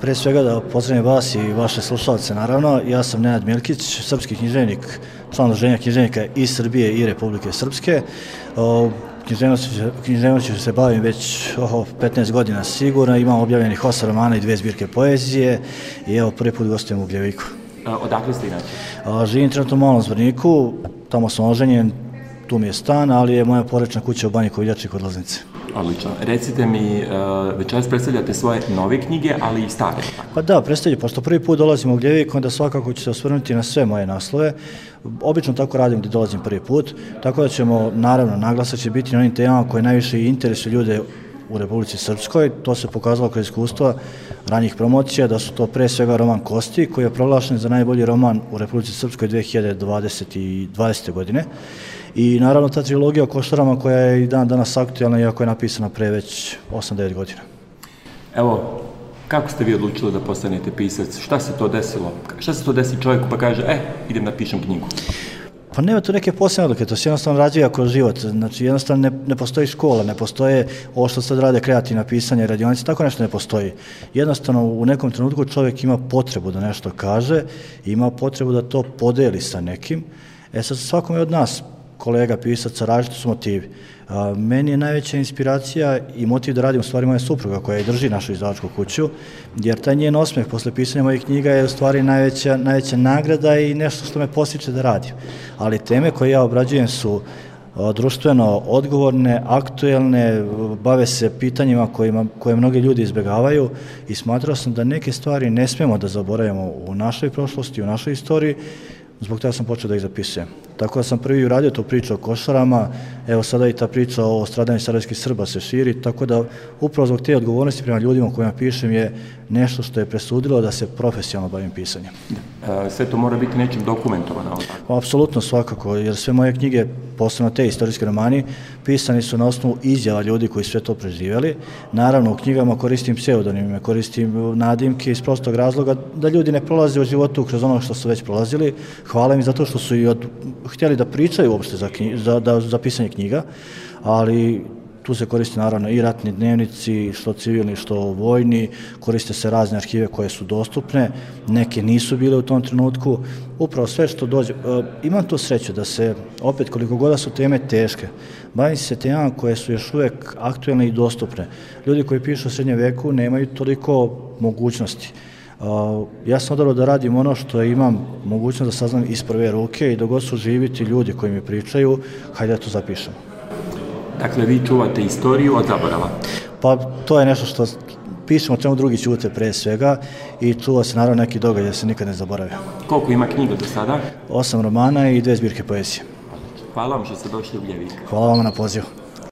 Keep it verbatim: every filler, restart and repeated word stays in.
Pre svega da pozdravim vas i vaše slušalce, naravno. Ja sam Nenad Milkić, srpski književnik, član Udruženja književnika i Srbije i Republike Srpske. Književnošću se bavim već oh, petnaest godina sigurno, imam objavljenih osam romana i dve zbirke poezije i evo prvi put gostujem u Ugljeviku. Odakle ste inače? Živim trenutno u Malom Zvorniku, tamo sam oženjen, tu mi je stan, ali je moja porečna kuća u Banji Koviljači kod Loznice. Odlično. Recite mi, večeras predstavljate svoje nove knjige, ali i stare. Pa da, predstavljam, pošto prvi put dolazim u Ugljevik, onda svakako ću se osvrnuti na sve moje naslove. Obično tako radim gdje dolazim prvi put, tako da ćemo, naravno, naglasak će biti na onim temama koje najviše interesuju ljude u Republici Srpskoj. To se pokazalo kroz iskustva ranijih promocija, da su to pre svega roman Kosti, koji je proglašen za najbolji roman u Republici Srpskoj dve hiljade dvadesete. godine. I naravno ta trilogija o Košarama koja je i dan danas aktualna, iako je napisana pre već osam devet godina. Evo, kako ste vi odlučili da postanete pisac? Šta se to desilo? Šta se to desi čovjeku pa kaže, e, idem da pišem knjigu? Pa nema tu neke posebne odluke, to se jednostavno razvija kroz život. Znači jednostavno ne, ne postoji škola, ne postoje ovo što sad rade kreativna pisanja i radionice, tako nešto ne postoji. Jednostavno u nekom trenutku čovjek ima potrebu da nešto kaže, ima potrebu da to podeli sa nekim. E sad svakome od nas, kolega pisaca, različiti su motivi. A, meni je najveća inspiracija i motiv da radim u stvari moja supruga koja i drži našu izdavačku kuću, jer taj njen osmeh posle pisanja mojih knjiga je u stvari najveća, najveća nagrada i nešto što me postiče da radim. Ali teme koje ja obrađujem su a, društveno odgovorne, aktuelne, bave se pitanjima kojima, koje mnogi ljudi izbjegavaju i smatrao sam da neke stvari ne smemo da zaboravimo u našoj prošlosti, u našoj istoriji. Zbog toga sam počeo da ih zapisujem. Tako da sam prvi uradio tu priču o Košarama, evo sada i ta priča o stradanju sarajevskih Srba se širi, tako da upravo zbog te odgovornosti prema ljudima o kojima pišem je nešto što je presudilo da se profesionalno bavim pisanjem. Sve to mora biti nečim dokumentovano? Apsolutno svakako, jer sve moje knjige, posebno te istorijske romani, pisani su na osnovu izjava ljudi koji sve to preživjeli. Naravno, u knjigama koristim pseudonime, koristim nadimke iz prostog razloga da ljudi ne prolaze u životu kroz ono što su već prolazili. Hvala mi zato što su i od, htjeli da pričaju uopšte za, knji, za, da, za pisanje knjiga, ali tu se koriste naravno i ratni dnevnici, što civilni, što vojni, koriste se razne arhive koje su dostupne, neke nisu bile u tom trenutku, upravo sve što dođe. E, imam tu sreću da se, opet koliko god su teme teške, bavim se temama koje su još uvijek aktuelne i dostupne. Ljudi koji pišu o srednjem veku nemaju toliko mogućnosti. Uh, ja sam odabrao da radim ono što imam mogućnost da saznam iz prve ruke i dok god su živiti ljudi koji mi pričaju, hajde da to zapišemo. Dakle, vi čuvate istoriju od zaborava? Pa to je nešto što pišemo, čemu drugi ćute pre svega i čuva se naravno neki događaj da se nikad ne zaboravio. Koliko ima knjiga do sada? Osam romana i dve zbirke poezije. Hvala vam što ste došli u Ugljeviku. Hvala vam na pozivu.